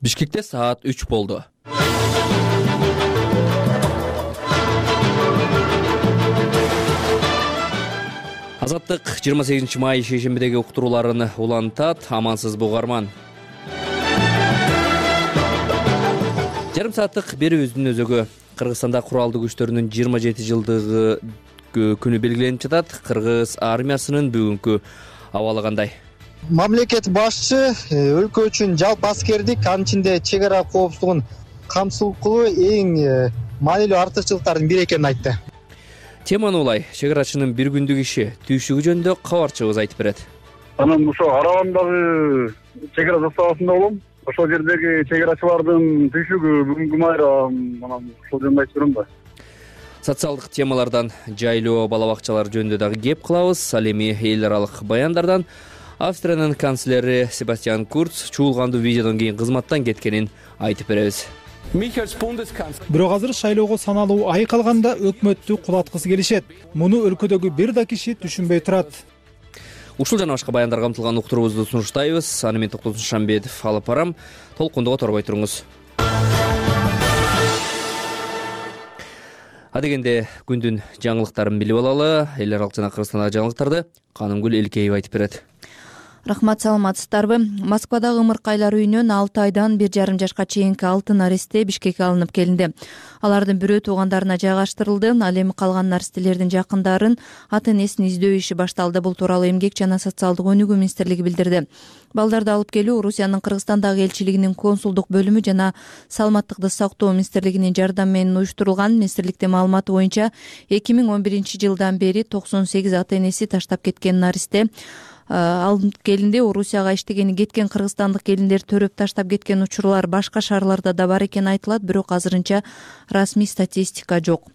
Бишкекте саат 3 болду. Азаттык 28 май шейшембидеги уктурууларын улантат. Амансыз бугарман. Жарым сааттык берүүбүздүн өзөгү. Кыргызстанда куралдуу күчтөрүнүн 27 жылдыгы күнү белгиленип жатат. Кыргыз армиясынын бүгүнкү абалы кандай? Мамлекет башчы өлкө үчүн жалпы аскердик, анын ичинде чек ара коопсуздугун камсыздоо эң маанилүү артыкчылыктардын бири экенин айтты. Теманы улай чек арачынын бир күндүк иши түйшүгү жөнүндө кабарчыбыз айтып берет. Анан ошо Арабандагы чек ара заставасында болом. Ошол жердеги чек арачылардын түйшүгү бүгүнкү майра анан ошол жөнүндө айтып берем да. Социалдык темалардан жайлоо бала бакчалар жөнүндө дагы кеп кылабыз. Ал эми эл аралык баяндардан Австриянын канцлери Себастьян Курц чуулгандуу видеодон кийин кызматтан кеткенин айтып беребиз. Бирок азыр шайлоого саналуу ай калганда өкмөттү кулаткысы келишет. Муну өлкөдөгү бир да киши түшүнбөй турат. Ушул жана башка баяндар камтылган уктуруубузду сунуштайбыз. Аны мен Токтосун Шамбетов алып барам. Толкунду которбой туруңуз. Адегенде күндүн жаңылыктарын билип алалы. Эл аралык жана Кыргызстандагы жаңылыктарды Канымгүл Элкеева айтып берет. Рахмат, саламатсыздарбы? Москвадагы ымыркайлар үйүнөн 6 айдан 1,5 жашка чейинки 6 наристе Бишкекке алынып келинди. Алардын бирөө туугандарына жайгаштырылды. Ал эми калган наристелердин жакындарын ата-энесин издөө иши башталды. Бул тууралуу Эмгек жана социалдык өнүгүү министрлиги билдирди. Балдарды алып келүү Орусиянын Кыргызстандагы элчилигинин консулдук бөлүмү жана саламаттыкты сактоо министрлигинин жардамы менен уюштурулган. Министрликтин маалыматы боюнча 2011 жылдан бери 98 ата-энеси таштап кеткен наристе алынып келинди. Орусияга иштегени кеткен кыргызстандык келиндер төрөп таштап кеткен учурлар башка шаарларда да бар экени айтылат, бирок азырынча расмий статистика жок.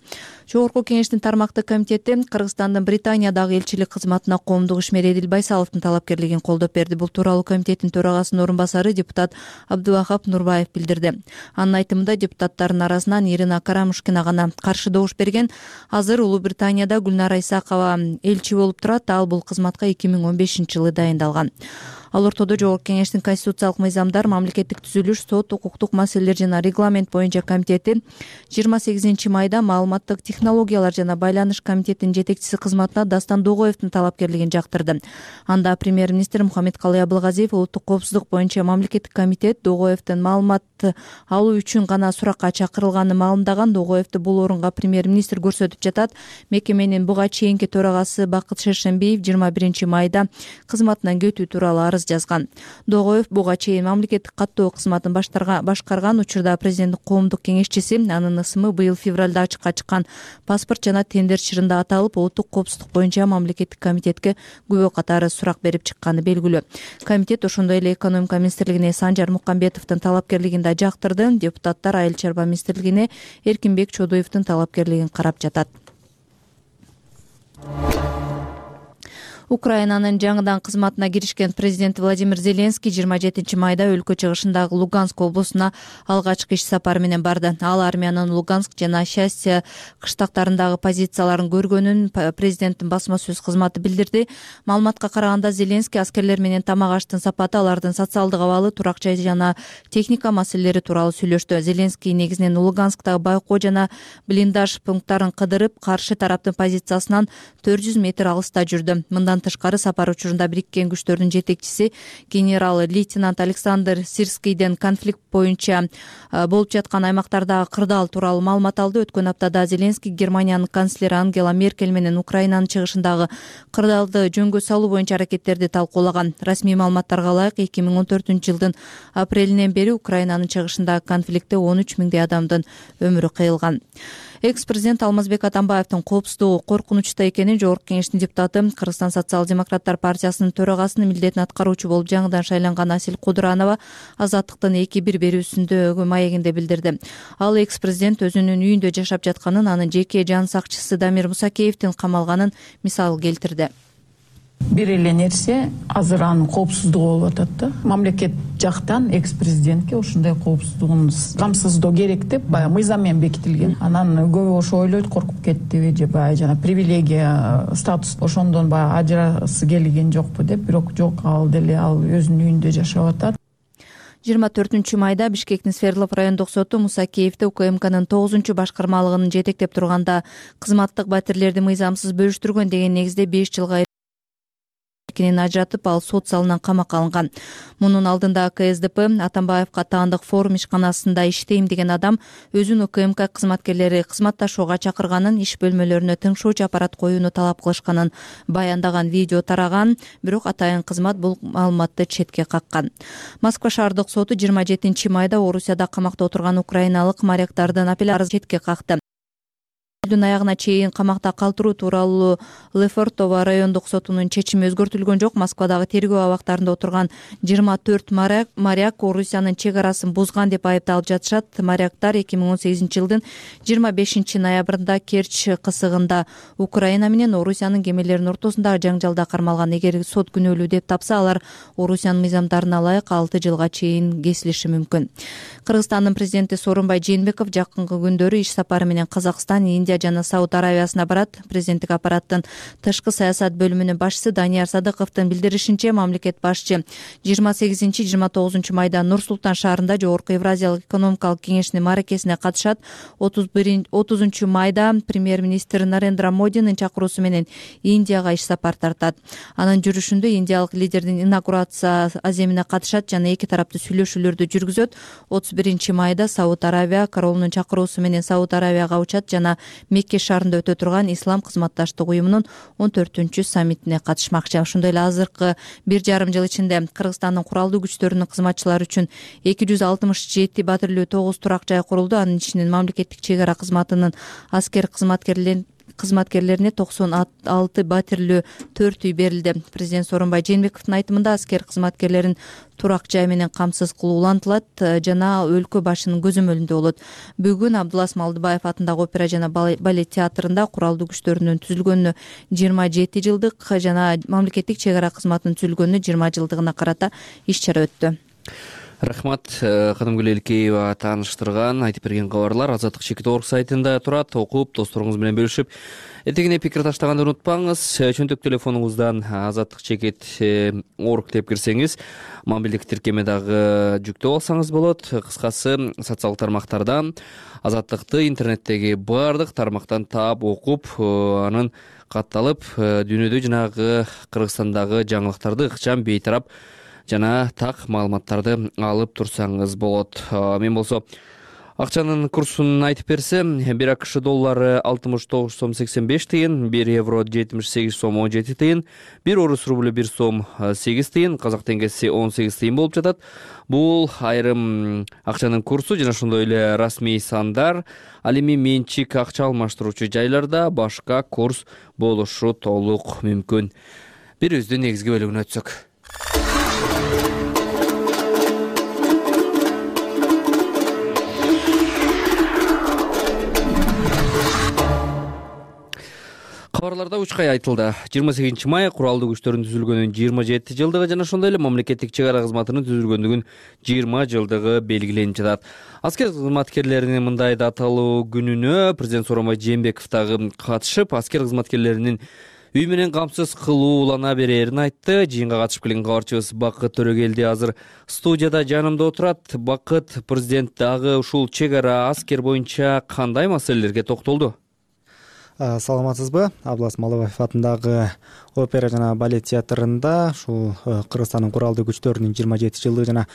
Жогорку кеңештин тармактык комитети Кыргызстандын Британиядагы элчилик кызматына коомдук ишмер Эдил Байсаловдун талапкерлигин колдоп берди. Бул тууралуу комитеттин төрагасынын орун басары депутат Абдувахап Нурбаев билдирди. Анын айтымында депутаттардын арасынан Ирина Карамушкина гана каршы добуш берген. Азыр Улуу Британияда Гүлнара Исакова элчи болуп турат. Ал бул кызматка 2015 жылы дайындалган. Ал ортодо Жогорку кеңештин конституциялык мыйзамдар, мамлекеттик түзүлүш, сот, укуктук маселелер жана регламент боюнча комитети 28 майда маалыматтык технологиялар жана байланыш комитетинин жетекчиси кызматына Дастан Догоевдун талапкерлигин жактырды. Анда премьер-министр Мухаммедкалый Абылгазиев улуттук коопсуздук боюнча мамлекеттик комитет Догоевдун маалымат алуу үчүн гана суракка чакырылганын маалымдаган. Догоевду бул орунга премьер-министр көрсөтүп жатат. Мекеменин буга чейинки төрагасы Бакыт Шершембиев 21 майда кызматынан кетүү тууралуу арыз жазган. Догоев буга чейин мамлекеттик каттоо кызматын башкарган. Учурда президенттик коомдук кеңешчиси. Анын ысымы быйыл февралда ачыкка чыккан паспорт жана тендер чырында аталып, улуттук коопсуздук боюнча мамлекеттик комитетке күбө катары сурак берип чыкканы белгилүү. Комитет ошондой эле экономика министрлигине Санжар Мукамбетовдун талапкерлигин да жактырды. Депутаттар Айыл чарба министрлигине Эркинбек Чодуевдун талапкерлигин карап жатат. Украинанын жаңыдан кызматына киришкен президент Владимир Зеленский 27 майда өлкө чыгышындагы Луганск облусуна алгачкы иш сапары менен барды. Ал армиянын Луганск жана Счастье кыштактарындагы позицияларын көргөнүн президенттин басма сөз кызматы билдирди. Маалыматка караганда Зеленский аскерлер менен тамак аштын сапаты, алардын социалдык абалы, турак жай жана техника маселелери тууралуу сүйлөштү. Зеленский негизинен Луганскдагы байкоо жана блиндаж пункттарын кыдырып, каршы тараптын позициясынан 400 метр алыста жүрдү. Мындан тышкары сапар учурунда бириккен күчтөрдүн жетекчиси генерал-лейтенант Александр Сирскийден конфликт боюнча болуп жаткан аймактардагы кырдаал тууралуу маалымат алды. Өткөн аптада Зеленский Германиянын канцлери Ангела Меркель менен Украинанын чыгышындагы кырдаалды жөнгө салуу боюнча аракеттерди талкуулаган. Расмий маалыматтарга ылайык 2014 жылдын апрелинен бери Украинанын чыгышындагы конфликтте 13 миңдей адамдын өмүрү кыйылган. Экс-президент Алмазбек Атамбаевдин коопсуздугу коркунучта экенин Жогорку кеңештин депутаты, Кыргызстан социал-демократтар партиясынын төрагасынын милдетин аткаруучу болуп жаңыдан шайланган Асил Кудуранова Азаттыктын 2-1 берүүсүндөгү маегинде билдирди. Ал экс-президент өзүнүн үйүндө жашап жатканын, анын жеке жан сакчысы Дамир Мусакеевдин камалганын мисал келтирди. Бир эле нерсе, азыр анын коопсуздугу болуп атат да. Мамлекет жактан экс-президентке ушундай коопсуздугун камсыздоо керек деп баягы мыйзам менен бекитилген. Анан көбү ошо ойлойт, коркуп кеттиби же баягы жана привилегия, статус ошондон баягы ажырасы келген жокпу деп, бирок жок, ал деле ал өзүнүн үйүндө жашап атат. 24 майда Бишкектин Свердлов райондук соту Мусакеевди УКМКнын 9-башкармалыгынын жетектеп турганда кызматтык батирлерди мыйзамсыз бөлүштүргөн деген негизде 5 жылга эркинен ажыратып, ал сот залынан камакка алынган. Мунун алдында КСДП Атамбаевка таандык форум ишканасында иштейм деген адам өзүн УКМК кызматкерлери кызматташууга чакырганын, иш бөлмөлөрүнө тыңшоочу аппарат коюуну талап кылышканын баяндаган видео тараган, бирок атайын кызмат бул маалыматты четке каккан. Москва шаардык соту 27 майда Орусияда камакта отурган украиналык моряктардын апелляциясын четке какты. Аягына чейин камакта калтыруу тууралуу Лефортово райондук сотунун чечими өзгөртүлгөн жок. Москвадагы тергөө абактарында отурган 24 моряк Орусиянын чек арасын бузган деп айыпталып жатышат. Моряктар 2018-жылдын 25-ноябрында Керчь кысыгында Украина менен Орусиянын кемелеринин ортосундагы жаңжалда кармалган. Эгер сот күнөөлүү деп тапса, алар Орусиянын мыйзамдарына ылайык 6 жылга чейин кесилиши мүмкүн. Кыргызстандын президенти Сооронбай Жээнбеков жакынкы күндөрү иш сапары менен Казакстан, Индия жана Сауд Аравиясына барат. Президенттик аппараттын тышкы саясат бөлүмүнүн башчысы Данияр Садыковдун билдиришинче, мамлекет башчы 28-29 майда Нур-Султан шаарында Жогорку Евразиялык экономикалык кеңештин маракесине катышат. 30 майда премьер-министр Нарендра Модинин чакыруусу менен Индияга иш сапар тартат. Анын жүрүшүндө индиялык лидердин инаугурация аземине катышат жана эки тараптуу сүйлөшүүлөрдү жүргүзөт. 31 майда Сауд Аравия королунун чакыруусу менен Сауд Аравияга учат жана Мекке шаарында өтө турган Ислам кызматташтык уюмунун 14-саммитине катышмакчы. Ошондой эле азыркы 1,5 жыл ичинде Кыргызстандын куралдуу күчтөрүнүн кызматчылары үчүн 267 батирлүү 9 турак жай курулду. Анын ичинен мамлекеттик чек ара кызматынын аскер кызматкерлерине 96 батирлүү 4 үй берилди. Президент Сооронбай Жээнбековдун айтымында аскер кызматкерлерин турак жай менен камсыз кылуу улантылат жана өлкө башынын көзөмөлүндө болот. Бүгүн Абдулас Малдыбаев атындагы опера жана балет театрында куралдуу күчтөрүнүн түзүлгөнүнө 27 жылдык жана мамлекеттик чек ара кызматынын түзүлгөнүнө 20 жылдыгына карата иш-чара өттү. Рахмат, Кадымгүл Элкеева тааныштырган, айтып берген кабарлар Азаттык Чекит.org сайтында турат. Окуп, досторуңуз менен бөлүшүп, этегине пикир таштаганды унутпаңыз. Чөнтөк телефонуңуздан Азаттык Чекит.org деп кирсеңиз, мобилдик тиркеме дагы жүктөп алсаңыз болот. Кыскасы, социалдык тармактардан Азаттыкты интернеттеги баардык тармактан таап, окуп, анын катталып, дүйнөдө жанагы Кыргызстандагы жаңылыктарды ыкчам, бейтарап жана так маалыматтарды алып турсаңыз болот. Мен болсо акчанын курсун айтып берсем, 1 АКШ доллары 69 сом 85 тыйын, 1 евро 78 сом 17 тыйын, 1 орус рублю 1 сом 8 тыйын, казак теңгеси 18 тыйын болуп жатат. Бул айрым акчанын курсу жана ошондой эле расмий сандар. Ал эми менчик акча алмаштыруучу жайларда башка курс болушу толук мүмкүн. Бирибиздин негизги бөлүгүнө өтсөк. Кабарларда учкай айтылды. 28 май куралдуу күчтөрүнүн түзүлгөнүнүн 27 жылдыгы жана ошондой эле мамлекеттик чек ара кызматынын түзүлгөндүгүнүн 20 жылдыгы белгиленип жатат. Аскер кызматкерлеринин мындай даталуу күнүнө президент Сооронбай Жээнбеков дагы катышып, аскер кызматкерлеринин үй менен камсыз кылуу улана берерин айтты. Жыйынга катышып келген кабарчыбыз Бакыт Төрөгелди азыр студияда жанымда отурат. Бакыт, президент дагы ушул чек ара аскер боюнча кандай маселелерге токтолду? Саламатсызбы? Абдулас Малдыбаев атындагы опера жана балет театрында ушул Кыргызстандын куралдуу күчтөрүнүн 27 жылдыгы жана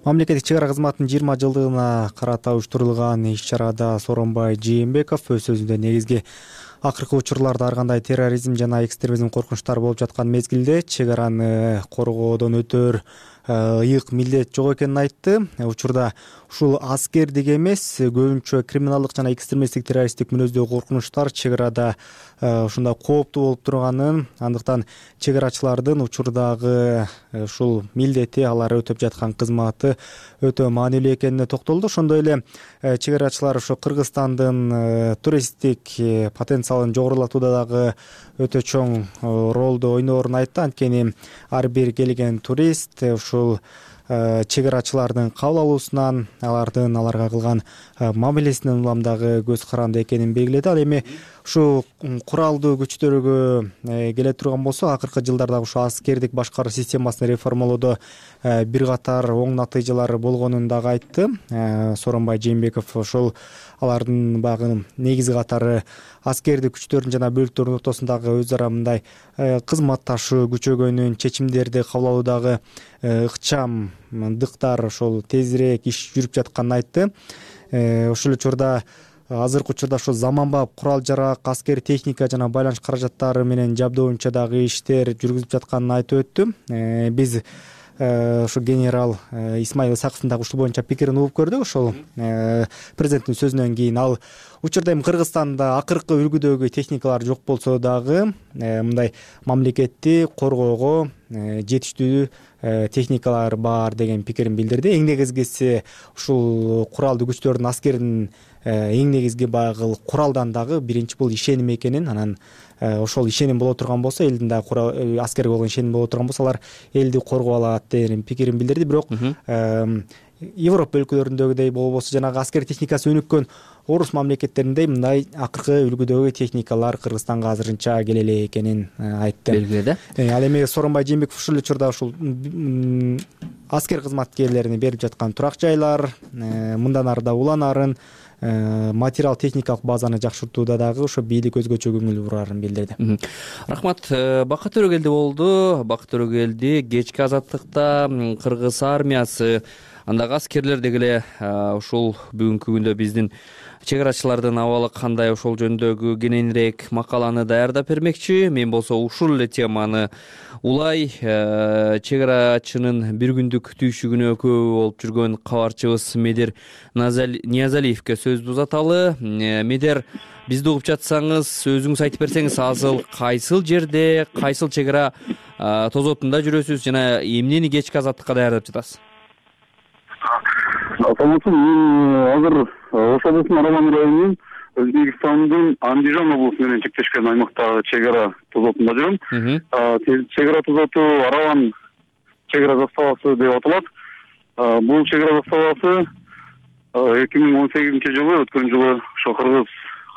мамлекеттик чек ара кызматынын 20 жылдыгына карата уюштурулган иш-чарада Сооронбай Жээнбеков өз сөзүндө негизги акыркы учурларда ар кандай терроризм жана экстремизм коркунучтары болуп жаткан мезгилде чек араны коргоодон өтөр ыйык милдет жок экенин айтты. Учурда ушул аскердик эмес, көбүнчө криминалдык жана экстремисттик террористтик мүнөздөгү коркунучтар чек арада ушундай кооптуу болуп турганын, андыктан чек арачылардын учурдагы ушул милдети, алар өтөп жаткан кызматы өтө маанилүү экенине токтолду. Ошондой эле чек арачылар ошо Кыргызстандын туристтик потенциалын жогорулатууда дагы өтө чоң ролду ойноорун айтты. Анткени ар бир келген турист ушул чек арачылардын кабыл алуусунан, аларга кылган мамилесинен улам дагы көз каранды экенин белгиледи. Ал эми ушул куралдуу күчтөргө келе турган болсок, акыркы жылдарда ушу аскердик башкаруу системасын реформалоодо бир катар оң натыйжалар болгонун дагы айтты Сооронбай Жээнбеков. Ошол алардын багы негизи катары аскердик күчтөрдүн жана бөлүктөрдүн ортосундагы өз ара мындай кызматташуу күчөгөнүн, чечимдерди кабыл алуудагы ыкчамдыктар ошол тезирээк иш жүрүп жатканын айтты. Ошол эле учурда азыркы учурда ошо заманбап курал жарак, аскер техника жана байланыш каражаттары менен жабдоо боюнча дагы иштер жүргүзүлүп жатканын айтып өттү. Биз ошо генерал Исмаил Исаковдун дагы ушул боюнча пикирин угуп көрдүк. Ошол президенттин сөзүнөн кийин ал учурда эми Кыргызстанда акыркы үлгүдөгү техникалар жок болсо дагы мындай мамлекетти коргоого жетиштүү техникалар бар деген пикирин билдирди. Эң негизгиси ушул куралдуу күчтөрдүн, аскердин эң негизги багы куралдан дагы биринчи бул ишеним экенин, анан ошол ишеним боло турган болсо, элдин дагы аскерге болгон ишеним боло турган болсо, алар элди коргоп алат деген пикирин билдирди. Бирок Европа өлкөлөрүндөгүдөй болбосо, жанагы аскер техникасы өнүккөн орус мамлекеттериндей мындай акыркы үлгүдөгү техникалар Кыргызстанга азырынча келе эле экенин айтты. Белгиледи. Ал эми Сооронбай Жээнбеков ушул учурда ушул аскер кызматкерлерине берип жаткан турак жайлар, мындан ары да уланарын, материал техникалык базаны жакшыртууда дагы ошо бийлик өзгөчө көңүл бурарын билдирди. Рахмат. Бакыт Төрөгелди болду. Бакыт Төрөгелди кечки азаттыкта Кыргыз армиясы, андагы аскерлер деги эле ушул бүгүнкү күндө биздин чек арачылардын абалы кандай, ошол жөнүндөгү кененирээк макаланы даярдап бермекчи. Мен болсо ушул эле теманы улай чек арачынын бир күндүк түйшүгүнө күбө болуп жүргөн кабарчыбыз Медер Ниязалиевке сөздү узаталы. Медер, бизди угуп жатсаңыз, өзүңүз айтып берсеңиз, азыр кайсыл жерде, кайсыл чек ара тозотунда жүрөсүз жана эмнени кечки азаттыкка даярдап жатасыз? Саламатсызбы. Мен азыр Ош облусунун Араван районунун Өзбекстандын Андижан облусу менен чектешкен аймактагы чек ара тозотунда жүрөм. Чек ара тозоту Араван чек ара заставасы деп аталат. Бул чек ара заставасы 2018 жылы, өткөн жылы ошо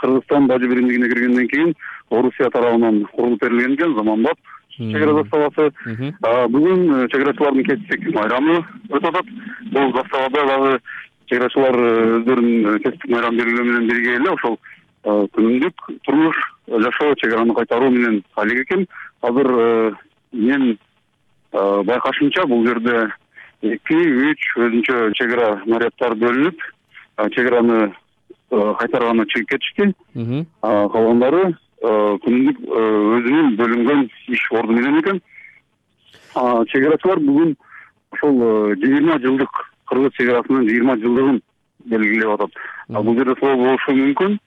Кыргызстан Бажы биримдигине киргенден кийин Орусия тарабынан курулуп берилген экен, заманбап чек ара заставасы. Бүгүн чек арачылардын кесиптик майрамы өтүп атат. Бул заставада дагы чек арачылар өздөрүнүн кесиптик майрам белгилөө менен бирге эле ошол күнүмдүк турмуш жашоо, чек араны кайтаруу менен алек экен. Азыр мен байкашымча бул жерде 2-3 өзүнчө чек ара наряддар бөлүнүп, чек араны кайтарганы чыгып кетишти. Калгандары күнүмдүк өзүнүн бөлүнгөн иш орду менен экен. Чек арачылар бүгүн ошол 20 жылдык Кыргыз чек арасынын 20 жылдыгын белгилеп атат. Бул жерде соо болушу мүмкүн.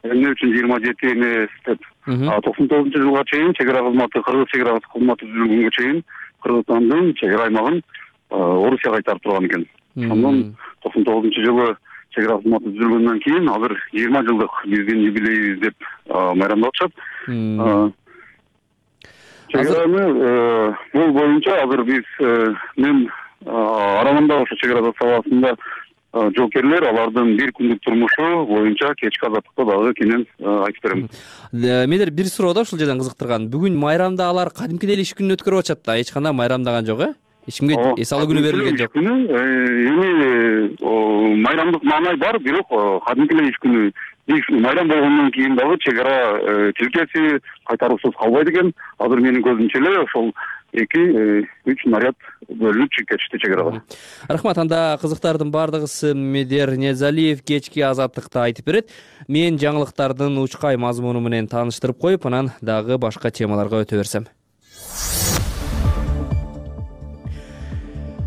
Эмне үчүн 27 эмес деп. 99-жылга чейин чек ара кызматы, Кыргыз чек ара кызматы түзүлгөнгө чейин Кыргызстандын чек ара аймагын Орусия кайтарып турган экен. Андан 99-жылы чек ара кызматы түзүлгөндөн кийин азыр 20 жылдык биздин юбилейибиз деп майрамдап атышат. Чек араны бул боюнча азыр биз мен Аравандагы ошо чек ара заставасында жоокерлер алардын бир күндүк турмушу боюнча кечки азаттыкта дагы кенен айтып берем. Медер, бир суроо да ушул жерден кызыктырган. Бүгүн майрамда алар кадимкидей иш күнүн өткөрүп атышат да, эч кандай майрамдаган жок, эч кимге эс алуу күнү берилген жок. Эми майрамдык маанай бар, бирок кадимкидей иш күнү майрам болгондон кийин дагы чек ара тилкеси кайтаруусуз калбайт экен. Азыр менин көзүмчө эле ошол 2-3 наряд бөлүнүп чыгып кетишти чек арага. Рахмат. Анда кызыктардын бардыгысы Медер Ниязалиев кечки азаттыкта айтып берет. Мен жаңылыктардын учкай мазмуну менен тааныштырып коюп, анан дагы башка темаларга өтө берсем.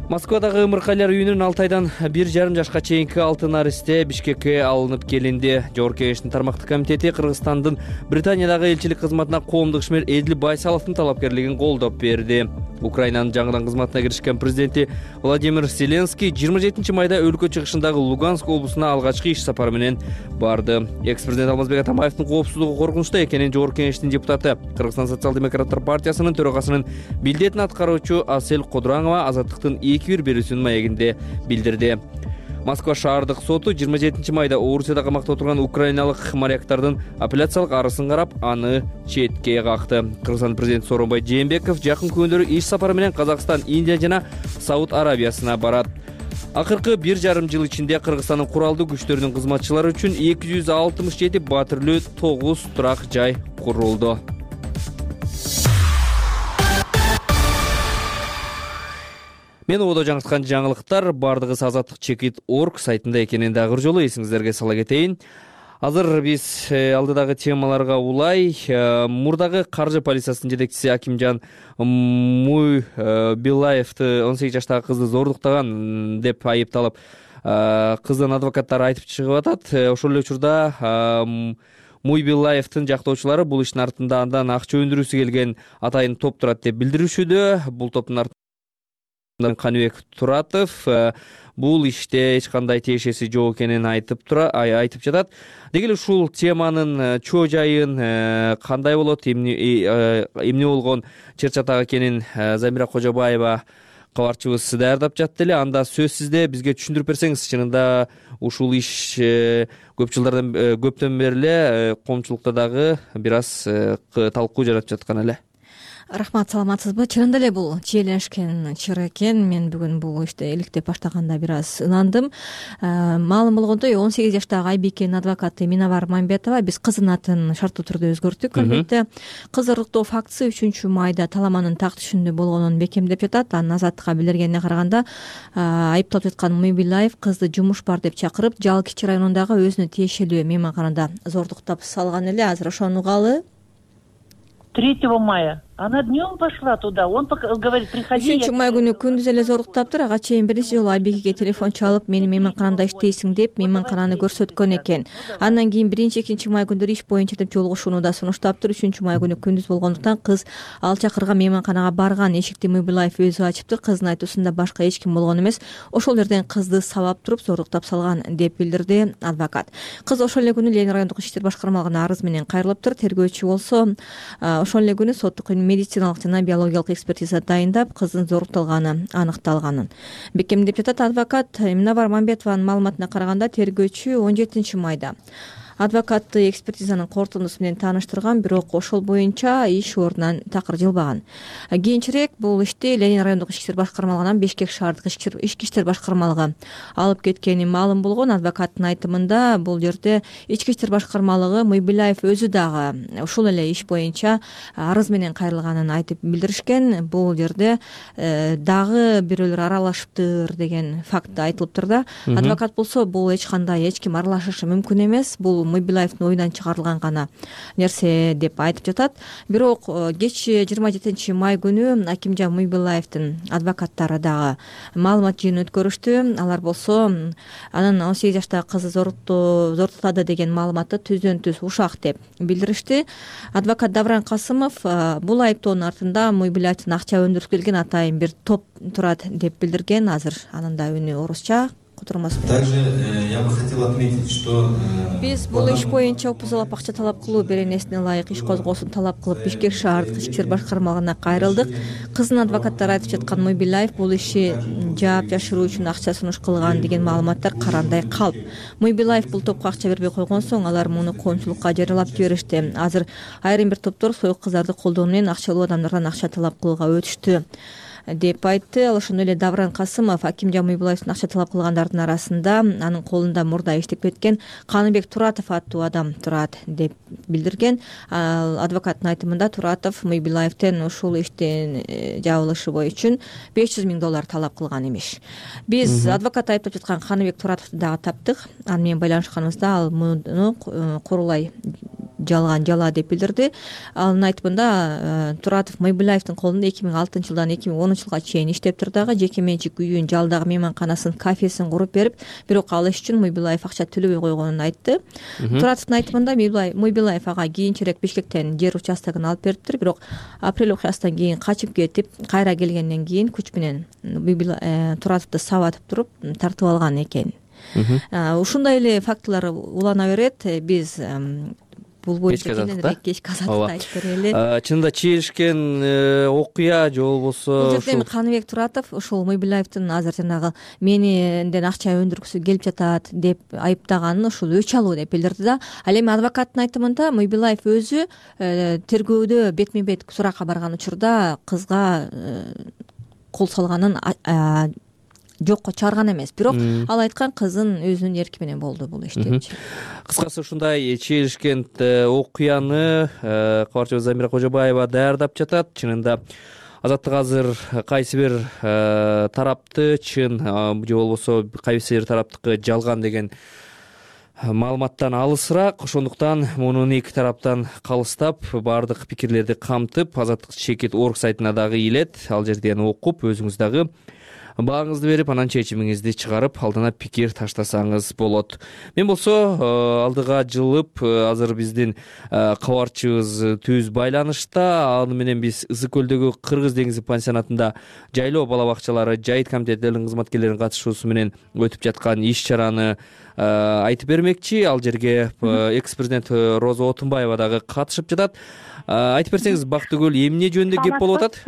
Москвадагы ымыркайлар үйүнүн 6 айдан 1,5 жашка чейинки 6 наристе Бишкекке алынып келинди. Жогорку Кеңештин тармактык комитети Кыргызстандын Британиядагы элчилик кызматына коомдук ишмер Эдил Байсаловдун талапкерлигин колдоп берди. Украинанын жаңыдан кызматына киришкен президенти Владимир Зеленский 27 майда өлкө чыгышындагы Луганск облусуна алгачкы иш сапары менен барды. Экс-президент Алмазбек Атамбаевдин коопсуздугу коркунучта экенин Жогорку Кеңештин депутаты, Кыргызстан социал-демократтар партиясынын төрагасынын милдетин аткаруучу Асель Кодуранова азаттыктын 2-1 берүүсүнүн маегинде билдирди. Москва шаардык соту 27 майда Орусияда камакта отурган украиналык моряктардын апелляциялык арызын карап, аны четке какты. Кыргызстан президенти Сооронбай Жээнбеков жакын күндөрү иш сапары менен Казакстан, Индия жана Сауд Арабиясына барат. Акыркы 1,5 жыл ичинде Кыргызстандын куралдуу күчтөрүнүн кызматчылары үчүн 267 батирлүү 9 турак жай курулду. Мен ободо жаңырткан жаңылыктар бардыгы azatlyk.org сайтында экенин дагы бир жолу эсиңиздерге сала кетейин. Азыр биз алдыдагы темаларга улай мурдагы каржы полициясынын жетекчиси Акимжан Муйбилаевди 18 жаштагы кызды зордуктаган деп айыпталып, кыздын адвокаттары айтып чыгып атат. Ошол эле учурда Муйбилаевдин жактоочулары бул иштин артында андан акча өндүрүүсү келген атайын топ турат деп билдиришүүдө. Бул топтун Каныбек Туратов бул иште эч кандай тиешеси жок экенин айтып жатат. Деги эле ушул теманын чоо жайын кандай болот, эмне болгон чыр чатак экенин Замира Кожобаева кабарчыбыз даярдап жатты эле. Анда сөзсүздө бизге түшүндүрүп берсеңиз, чынында ушул иш көптөн бери эле коомчулукта дагы бир аз талкуу жаратып жаткан эле. Рахмат, саламатсызбы? Чынында эле бул чиеленишкен чыр экен. Мен бүгүн бул иште иликтеп баштаганда бир аз ынандым. Маалым болгондой 18 жаштагы Айбикенин адвокаты Миновар Мамбетова биз кыздын атын шарттуу түрдө өзгөрттүк. Албетте кыз зордуктоо фактысы 3 майда Таламанын так түшүндө болгонун бекемдеп жатат. Анын Азаттыкка билдиргенине караганда, айыпталып жаткан Муйбилаев кызды жумуш бар деп чакырып, Жалал-Кичи районундагы өзүнө тиешелүү мейманканада зордуктап салган эле. Азыр ошону угалы. 3 мая. Она днем пошла туда. Он говорит, приходи. 3 май күнү күндүз эле зордуктаптыр. Ага чейин биринчи жолу Айбекеге телефон чалып, мени мейманканамда иштейсиң деп мейманкананы көрсөткөн экен. Андан кийин 1-2 май күндөрү иш боюнча деп жолугушууну да сунуштаптыр. 3 май күнү күндүз болгондуктан кыз ал чакырган мейманканага барган. Эшикти Муйбилаев өзү ачыптыр. Кыздын айтуусунда башка эч ким болгон эмес. Ошол жерден кызды сабап туруп зордуктап салган деп билдирди адвокат. Кыз ошол эле күнү Ленин райондук иштер башкармалыгына арыз менен кайрылыптыр. Тергөөчү болсо ошол эле күнү соттук медициналык жана биологиялык экспертиза дайындап, кыздын зорукталганы аныкталганын бекемдеп жатат адвокат. Миновар Мамбетованын маалыматына караганда, тергөөчү 17 майда адвокатты экспертизанын корутундусу менен тааныштырган, бирок ошол боюнча иш ордунан такыр жылбаган. Кийинчерээк бул ишти Ленин райондук ички иштер башкармалыгынан Бишкек шаардык ички иштер башкармалыгы алып кеткени маалым болгон. Адвокаттын айтымында, бул жерде ички иштер башкармалыгы Муйбилаев өзү дагы ушул эле иш боюнча арыз менен кайрылганын айтып билдиришкен. Бул жерде дагы бирөөлөр аралашыптыр деген факт айтылыптыр да. Адвокат болсо, бул эч ким аралашышы мүмкүн эмес, бул Муйбилаевдин оюнан чыгарылган гана нерсе деп айтып жатат. Бирок кеч 27 май күнү Акимжан Муйбилаевдин адвокаттары дагы маалымат жыйынын өткөрүштү. Алар болсо анын 18 жаштагы кызы зордуктады деген маалыматты түздөн түз ушак деп билдиришти. Адвокат Давран Касымов бул айыптоонун артында Муйбилаевдин акча өндүрүп келген атайын бир топ турат деп билдирген. Азыр анын да үнү орусча. Также я бы хотел отметить, что биз бул иш боюнча опузалап акча талап кылуу беренесине ылайык иш козгоосун талап кылып Бишкек шаардык ички иштер башкармалыгына кайрылдык. Кыздын адвокаттары айтып жаткан Муйбилаев бул иши жаап жашыруу үчүн акча сунуш кылган деген маалыматтар карандай калп. Муйбилаев бул топко акча бербей койгон соң, алар муну коомчулукка жарыялап жиберишти. Азыр айрым бир топтор союк кыздарды колдоо менен акчалуу адамдардан акча талап кылууга өтүштү деп айтты. Ал ошондой эле Давран Касымов Акимжан Муйбилаевдин акча талап кылгандардын арасында анын колунда мурда иштеп кеткен Каныбек Туратов аттуу адам турат деп билдирген. Адвокаттын айтымында Туратов Муйбилаевден ушул иштин жабылышы үчүн $500,000 талап кылган эмиш. Биз адвокат айыптап жаткан Каныбек Туратовду дагы таптык. Аны менен байланышканыбызда ал муну курулай жала деп билдирди. Анын айтымында Туратов Муйбилаевдин колунда 2006 жылдан 2010 жылга чейин иштептир дагы. Жеке менчик үйүн, жалдагы мейманканасын, кафесин куруп берип, бирок ал иш үчүн Муйбилаев акча төлөбөй койгонун айтты. Туратовдун айтымында Муйбилаев ага кийинчерээк Бишкектен жер участогун алып бериптир, бирок апрель окуясынан кийин качып кетип, кайра келгенден кийин күч менен Туратовду сабатып туруп тартып алган экен. Ушундай эле фактылар улана берет. Биз бул боюнча кененирээк кечки азаттыкта айтып берели. Чынында чийишкен окуя же болбосо бул жерде эми Каныбек Туратов ушул Мыйбилаевдин азыр жанагы менден акча өндүргүсү келип жатат деп айыптаганын ушул өч алуу деп билдирди да. Ал эми адвокаттын айтымында Мыйбилаев өзү тергөөдө бетме бет суракка барган учурда кызга кол салганын жокко чыгарган эмес, бирок ал айткан кыздын өзүнүн эрки менен болду бул иштечи. Кыскасы ушундай чийишкен окуяны кабарчыбыз Замира Кожобаева даярдап жатат. Чынында азаттык азыр кайсы бир тарапты чын же болбосо кайсы бир тараптыкы жалган деген маалыматтан алысыраак, ошондуктан мунун эки тараптан калыстап баардык пикирлерди камтып азаттык чекит орг сайтына дагы илет. Ал жерден окуп өзүңүз дагы бааңызды берип, анан чечимиңизди чыгарып, алдына пикир таштасаңыз болот. Мен болсо алдыга жылып азыр биздин кабарчыбыз түз байланышта. Аны менен биз Ысык көлдөгү Кыргыз деңизи пансионатында жайлоо бала бакчалары жайыт комитеттеринин кызматкерлеринин катышуусу менен өтүп жаткан иш-чараны айтып бермекчи. Ал жерге экс-президент Роза Отунбаева дагы катышып жатат. Айтып берсеңиз, Бактыгүл, эмне жөнүндө кеп болуп атат?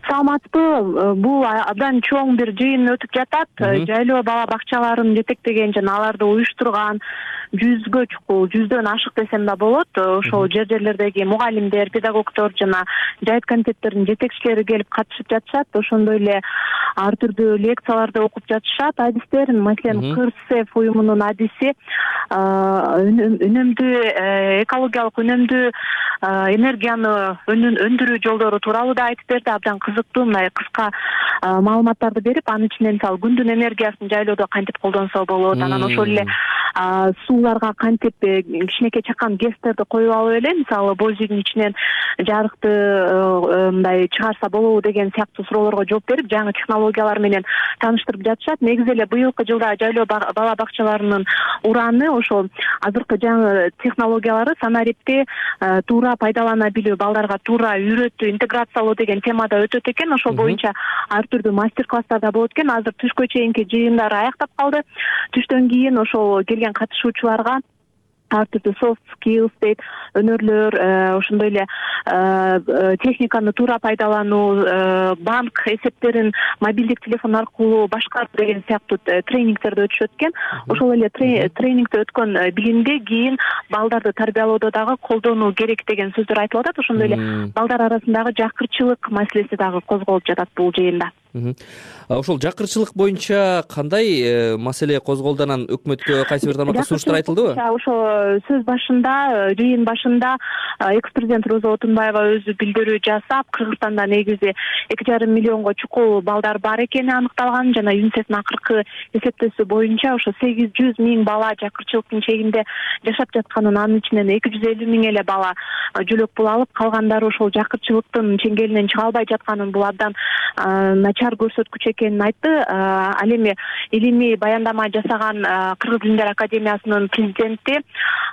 Саламатсызбы? Бул абдан чоң бир жыйын өтүп жатат. Жайлоо бала бакчаларын жетектеген жана аларды уюштурган жүздөн ашык десем да болот. Ошол жерлердеги мугалимдер, педагогдор жана жайыт комитеттеринин жетекчилери келип катышып жатышат. Ошондой эле ар түрдүү лекцияларды окуп жатышат. Адистерин, маселен, Кырсев уюмунун адиси үнөмдүү экологиялык үнөмдүү энергияны өндүрүү жолдору тууралуу да айтып берди. Абдан кызыктуу мындай кыска маалыматтарды берип, анын ичинен мисалы күндүн энергиясын жайлоодо кантип колдонсо болот, анан ошол эле сууларга кантип кичинекей чакан гэстерди коюп алып эле мисалы боз үйдүн ичинен жарыкты мындай чыгарса болобу деген сыяктуу суроолорго жооп берип, жаңы технологиялар менен тааныштырып жатышат. Негизи эле быйылкы жылда жайлоо бала бакчаларынын ураны ошол азыркы жаңы технологиялары санарипти туура пайдалана билүү, балдарга туура үйрөтүү, интеграциялоо деген темада өтөт экен. Ошол боюнча ар түрдүү мастер-класстар да болот экен. Азыр түшкө чейинки жыйындар аяктап калды. Түштөн кийин ошол келген катышуучуларга ар түрдүү soft skills дейт, өнөрлөр, ошондой эле техниканы туура пайдалануу, банк эсептерин мобилдик телефон аркылуу башкаруу деген сыяктуу тренингтерди өтүшөт экен. Ошол эле тренингде өткөн билимди кийин балдарды тарбиялоодо дагы колдонуу керек деген сөздөр айтылып атат. Ошондой эле балдар арасындагы жакырчылык маселеси дагы козголуп жатат бул жыйында. Ошол жакырчылык боюнча кандай маселе козголду? Анан өкмөткө кайсы бир тармакта сунуштар айтылдыбы? Ошо сөз башында, жыйын башында экс-президент Роза Отунбаева өзү билдирүү жасап, Кыргызстанда негизи 2,5 миллионго чукул балдар бар экени аныкталган жана ЮНИСЕФтин акыркы эсептөөсү боюнча ошо 800 миң бала жакырчылыктын чегинде жашап жатканын, анын ичинен 250 миң эле бала жөлөк пул алып, калгандары ошол жакырчылыктын чеңгелинен чыга албай жатканын, бул абдан начар көрсөткүч экенин айтты. Ал эми илимий баяндама жасаган Кыргыз Тилдер Академиясынын президенти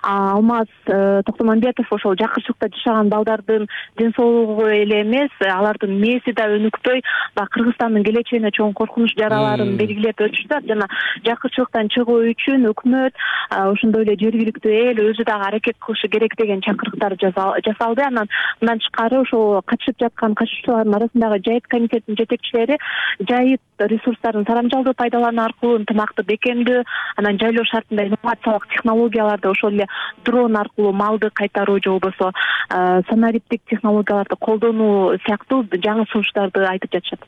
Алмаз Токтомамбетов ошол жакырчылыкта жашаган балдардын ден соолугу эле эмес, алардын мээси да өнүкпөй, Кыргызстандын келечегине чоң коркунуч жараларын белгилеп өтүштү жана жакырчылыктан чыгуу үчүн өкмөт, ошондой эле жергиликтүү эл өзү дагы аракет кылышы керек деген чакырыктар жасалды. Анан мындан тышкары ошол катышып жаткан катышуучулардын арасындагы жайыт комитетинин жетекчилери жайыт ресурстарын тарамжалдуу пайдалануу аркылуу ынтымакты бекемдөө, анан жайлоо шартында инновациялык технологияларды, ошол эле дрон аркылуу малды кайтаруу же болбосо санариптик технологияларды колдонуу сыяктуу жаңы сунуштарды айтып жатышат.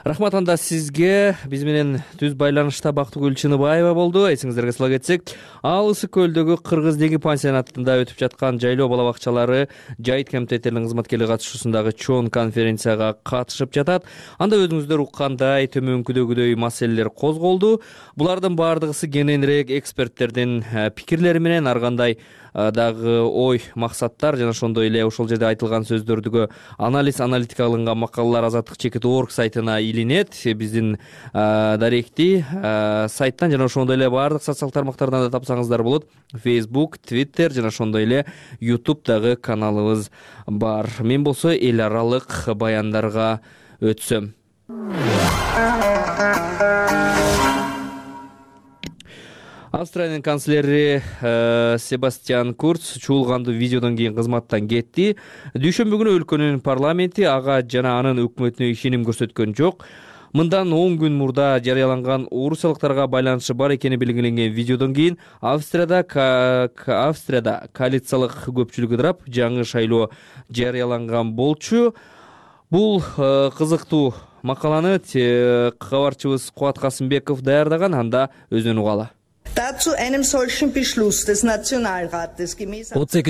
Рахмат анда сизге. Биз менен түз байланышта Бактыгүл Чыныбаева болду. Эсиңиздерге сала кетсек, ал Ысык көлдөгү Кыргыз деңизи пансионатында өтүп жаткан жайлоо бала бакчалары жайыт комитеттеринин кызматкерлери катышуусундагы чоң конференцияга катышып жатат. Анда өзүңүздөр уккандай төмөнкүдөгүдөй маселелер козголду. Булардын баардыгысы кененирээк эксперттердин пикирлери менен ар кандай дагы ой, максаттар жана ошондой эле ошол жерде айтылган сөздөрдүгү аналитика кылынган макалалар азаттык чекит орг сайтына илинет. Биздин даректи сайттан жана ошондой эле баардык социалдык тармактардан да тапсаңыздар болот. Facebook, Twitter жана ошондой эле YouTube дагы каналыбыз бар. Мен болсо эл аралык баяндарга Австриянын канцлери Себастьян Курц чуулгандуу видеодон кийин кызматтан кетти. Дүйшөмбү күнү өлкөнүн парламенти ага жана анын өкмөтүнө ишеним көрсөткөн жок. Мындан 10 күн мурда жарыяланган орусиялыктарга байланышы бар экени белгиленген видеодон кийин Австрияда коалициялык көпчүлүк ыдырап, жаңы шайлоо жарыяланган болчу. Бул кызыктуу макаланы кабарчыбыз Кубат Касымбеков даярдаган, анда өзүнөн угалы. 32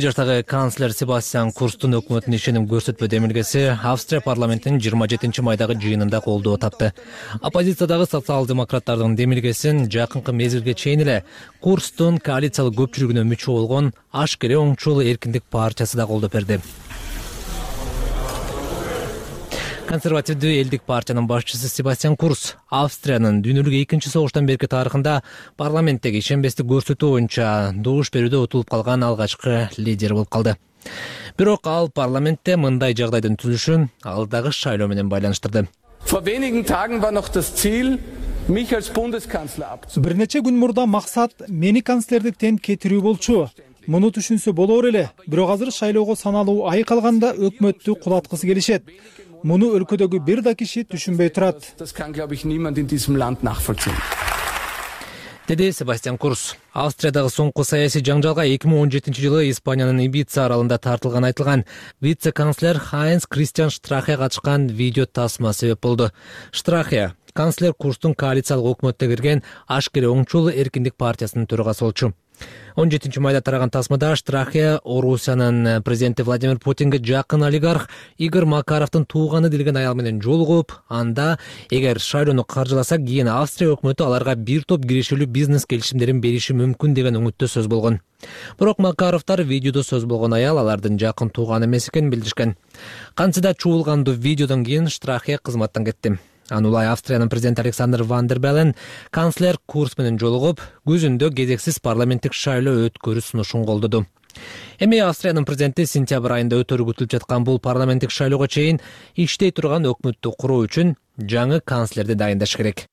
жаштагы канцлер Себастьян Курцтун өкмөтүнө ишеним көрсөтпө демилгеси Австрия парламентинин 27 майдагы жыйынында колдоо тапты. Оппозициядагы социал-демократтардын демилгесин жакынкы мезгилге чейин эле Курцтун коалициялык көпчүлүгүнө мүчө болгон Ашкере оңчул эркиндик партиясы да колдоп берди. Консервативдүү элдик партиянын башчысы Себастьян Курц Австриянын дүйнөлүк 2-согуштан берки тарыхында парламенттеги ишенбестик көрсөтүү боюнча добуш берүүдө утулуп калган алгачкы лидер болуп калды. Бирок ал парламентте мындай жагдайдын түзүлүшүн алдагы шайлоо менен байланыштырды. Бир нече күн мурда максат мени канцлердиктен кетирүү болчу. Муну түшүнсө болор эле, бирок азыр шайлоого саналуу ай калганда өкмөттү кулаткысы келишет. Муну өлкөдөгү бир да киши түшүнбөй турат. Деди Себастьян Курц. Австриядагы соңку саясий жаңжалга 2017 жылы Испаниянын Ибица аралында тартылган айтылган вице-канцлер Хайнц Кристиан Штрахе катышкан видео тасма себеп болду. Штрахе канцлер Курцтун коалициялык өкмөттө кирген Ашкере оңчул эркиндик партиясынын төрагасы болчу. 17 майда тараган тасмада Штрахе Орусиянын президенти Владимир Путинге жакын олигарх Игорь Макаровдун тууганы делген аял менен жолугуп, анда эгер шайлоону каржыласа, кийин Австрия өкмөтү аларга бир топ кирешелүү бизнес келишимдерин бериши мүмкүн деген үмүттө сөз болгон. Бирок Макаровдор видеодо сөз болгон аял алардын жакын тууганы эмес экенин билдиришкен. Кантсе да чуулгандуу видеодон кийин Штрахе кызматтан кетти. Анулай Австриянын президенти Александр Ван дер Белен канцлер Курц менен жолугуп, күзүндө кезексиз парламенттик шайлоо өткөрүү сунушун колдоду. Эми Австриянын президенти сентябрь айында өтөрү күтүлүп жаткан бул парламенттик шайлоого чейин иштей турган өкмөттү куруу үчүн жаңы канцлерди дайындаш керек.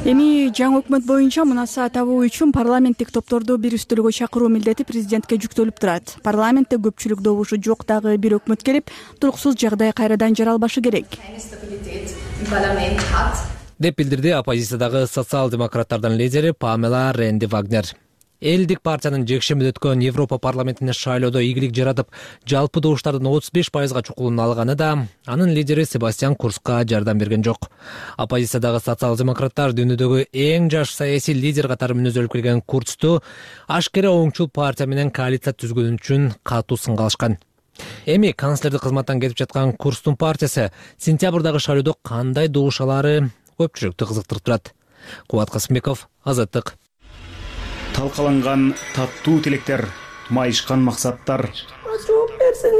Эми жаңы өкмөт боюнча мунаса табуу үчүн парламенттик топторду бир үстөлгө чакыруу милдети президентке жүктөлүп турат. Парламентте көпчүлүк добушу жок дагы бир өкмөт келип, туруксуз жагдай кайрадан жаралбашы керек. Деп билдирди оппозициядагы социал-демократтардын лидери Памела Ренди Вагнер. Элдик партиянын жекшемиде өткөн Европа парламентине шайлоодо ийгилик жаратып, жалпы добуштардын 35%га чукулун алганы да анын лидери Себастьян Курцка жардам берген жок. Оппозициядагы социал-демократтар дүйнөдөгү эң жаш саясий лидер катары мүнөзөлүп келген Курцту Ашкере оңчул партия менен коалиция түзгөн үчүн катуу сынга алышкан. Эми канцлерди кызматтан кетип жаткан Курцтун партиясы сентябрдагы шайлоодо кандай добуш алары көпчүлүктү кызыктырып турат. Кубат Касымбеков, Азаттык. Талкаланган таттуу тилектер, майышкан максаттар. Жооп берсең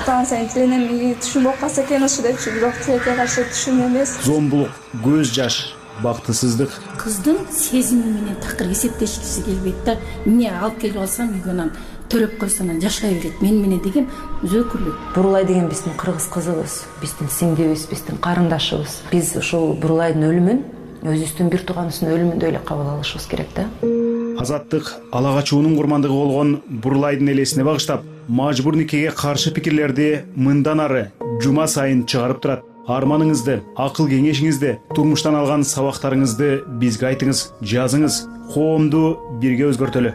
Станция тиленем түшүнбөй калса экен ошо депчи, бирок тилекке каршы түшүн эмес. Зомбулук, көз жаш, бактысыздык. Кыздын сезими менен такыр эсептешкиси келбейт да. Эмне алып келип алсам үйгөнөн төрөп койсоң жашай берет. Мен менен деген өзөкүлүк. Бурулай деген биздин кыргыз кызыбыз, биздин сиңдибиз, биздин карындашыбыз. Биз ушул Бурулайдын өлүмүн өзүбүздүн бир тууганыбыздын өлүмүндөй эле кабыл алышыбыз керек да. Азаттык ала качуунун курмандыгы болгон Бурулайдын элесине багыштап, мажбур никеге каршы пикирлерди мындан ары жума сайын чыгарып турат. Арманыңызды, акыл кеңешиңизди, турмуштан алган сабактарыңызды бизге айтыңыз, жазыңыз. Коомду бирге өзгөртөлү.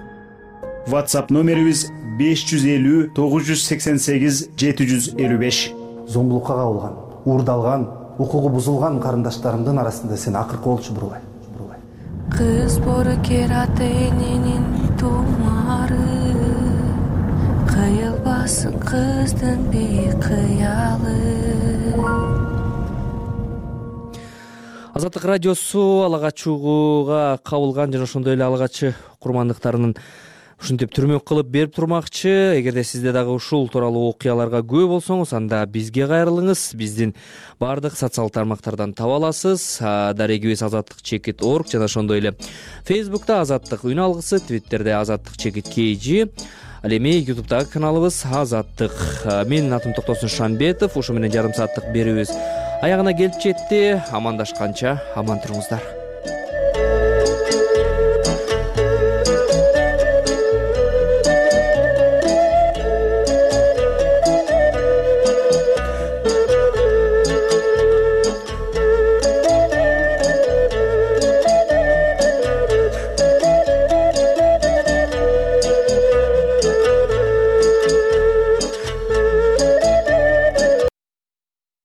WhatsApp номерибиз 550 988 755. Зомбулукка кабылган, уурдалган, укугу бузулган карындаштарымдын арасында сен акыркы болчу Бурулай. Кыз боркерат эненин тумары, кыйылбасын кыздын бейкыялы. Азаттык радиосу ала качууга кабылган жана ошондой эле ала качы курмандыктарынын ушинтип түрмөк кылып берип турмакчы. Эгерде сизде дагы ушул тууралуу окуяларга күбө болсоңуз, анда бизге кайрылыңыз. Биздин бардык социалдык тармактардан таба аласыз. Дарегибиз azattik.org жана ошондой эле Facebook'та Азаттык үн алгысы, Twitter'де azattik.kg. Ал эми YouTube'дагы каналыбыз Азаттык. Менин атым Токтосун Шанбетов. Ушу менен жарым сааттык берүүбүз аягына келип жетти. Амандашканча аман туруңуздар.